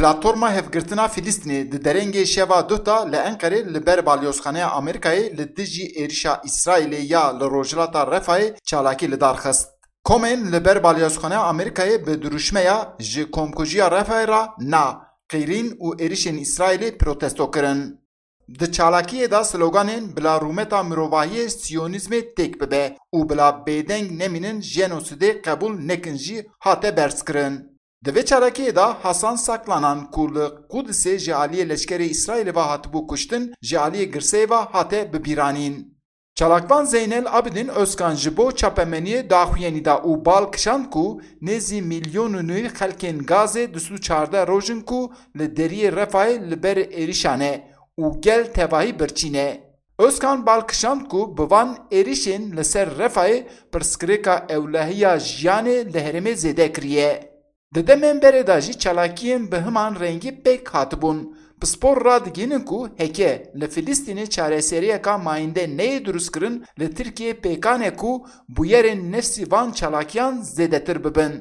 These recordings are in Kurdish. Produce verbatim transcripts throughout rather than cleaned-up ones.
Platforma Hevgirtina Filistînê di derengê şeva duh de li Enqerê li ber balyozxaneya Amerîkayê li dijî êrişa Îsraîlê ya li Rojhilata Refayê çalakî li dar xist. Komên li ber balyozxaneya Amerîkayê bi dirûşmeya "Ji komkujiya Refayê re na" qîrîn û êrişên Îsraîlê protesto kirin. Di çalakiyê de sloganên "Bila rûmeta mirovahiyê siyonîzmê têk bibe" û "Bila bêdeng nemînin, jenosîdê qebûl nekin" jî hate berzkirin. Di vê çalakiyê de Hasan Saklanan ku li Qudisê ji aliyê leşkerê Îsraîlê ve hatibû kuştin, ji aliyê girseyê ve hate bibîranîn. Çalakvan Zeynel Abidin Özkan ji bo çapemeniyê daxuyanî da û bal kişand ku nêzî milyon û nîv xelkên Gazê du sed û çardeh roj in ku li deriyê Refayê li ber êrişa ne û gel tevahî birçî ne. Özkan bal kişand ku bi van êrişên li ser Refayê pirsgirêka ewlehiya jiyanê li herêmê zêde kiriye. Di demên berê de jî çalakiyên bi himan rengî pêk hatibûn. Pispor radigihînin ku heke li Filistînê çareseriyeka mayînde neyê dirustkirin, li Tirkiyê pêkan e ku bûyerên nefsî van çalakiyan zêdetir bibin.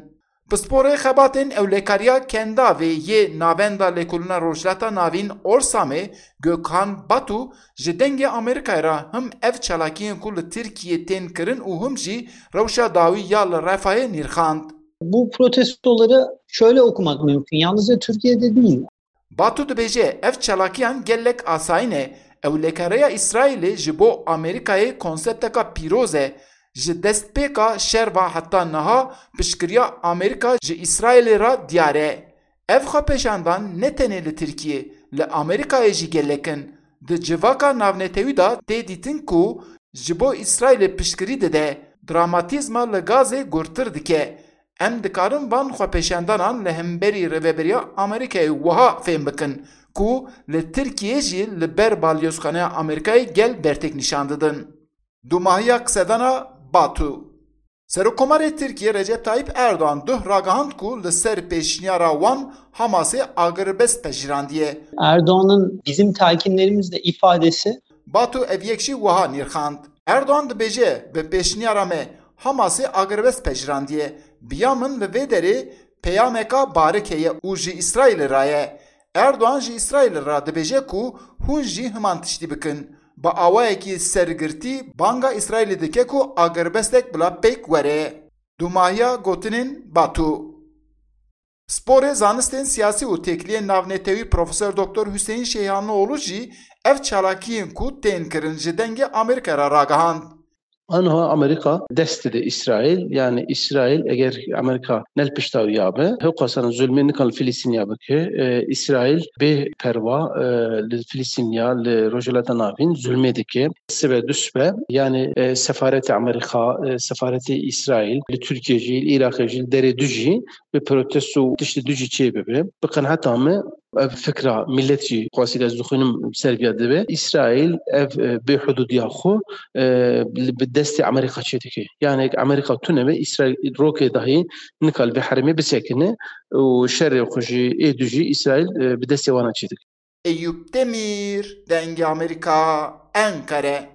Pisporê xebatên ewlekariya Kendavê yê Navenda Lêkolîna Rojhilata Navîn Orsamê, Gökhan Batu, ji Dengê Amerîkayê re him ev çalakiyên ku li Tirkiyê tên kirin û him jî rewşa dawî ya li Refahê nirxand. Bu protestoları şöyle okumak mümkün. Yalnızca Türkiye'de değil. Batu dibêje, ev çalakiyan gelek asayî ne. Ewlekariya Îsraîlê ji bo Amerîkayê konsepteka pîroz e. Ji destpêka şer ve heta niha piştgiriya Amerîka ji Îsraîlê re diyar e. Ev xwepêşandan ne tenê li Tirkiyê, li Amerîkayê jî gelek in. Di civaka navnetewî de tê dîtin ku ji bo Îsraîlê piştgirî dide, dramatîzma li Gazê gurtir dike. Em dikarin van xwepêşandanan li hemberî Rêveberiya Amerîkayê wiha fêm bikin ku li Tirkiyê jî li ber balyozxaneya Amerîkayê gel bertek nîşan didin. Dumahiya qisedana Batu. Serokkomarê Tirkiyê Recep Tayyip Erdoğan duh ragihand ku li ser pêşniyara wan Hamasê agirbest pejîrandiye. Erdoğan'ın bizim telkinlerimizde ifadesi. Batu ev yek jî wiha nirxand. Erdoğan dibêje, bi pêşniyara me Hamasê agirbest pejîrandiye. Bi ya min li vê derê peyameka barik heye û ji Îsraîlê re ye. Erdoğan ji Îsraîlê re dibêje ku hûn jî himan tiştî bikin. Bi awayekî sergirtî banga Îsraîlê dike ku agirbestek bila pêk were. Dumahiya gotinên Batu. Sporê zanistên siyasî û têkiliyên navnetewî Profesor Doktor Hüseyin Şeyhanoğlu jî ev çalakiyên ku tên kirin ji Dengê Amerîka re ragihand. Anha Amerîka dest dide Îsraîl, yani Îsraîl eger Amerîka ne li pişta wî ya be, hewqasana zulmê nikan li Filistîniya bike. E, Îsraîl bê perwa, e, li Filistîniya, li Rojhilata Navîn zulmê dike. Sibe du sibe, yani, e, sefaretê Amerîka, e, sefaretê Îsraîl li Tirkiye jî, li Iraqê jî, li derê du jî bi protesto û tiştê du jî çê bibe. Bi qeneta me ev fikra millet jî xwesî ez dixwînim ser viya dibe. Îsraîl ev, e, bêhudûdiya xwe, e, li, bi destê Amerîka çê dike. Yani Amerîka tune be Îsraîl rokê dahî nikal vê herêmê bisekine û şerê xwe jî ê du jî Îsraîl, e, bi destê wana çê dike. Eyüp Demir, Dengê Amerîka, Enqere.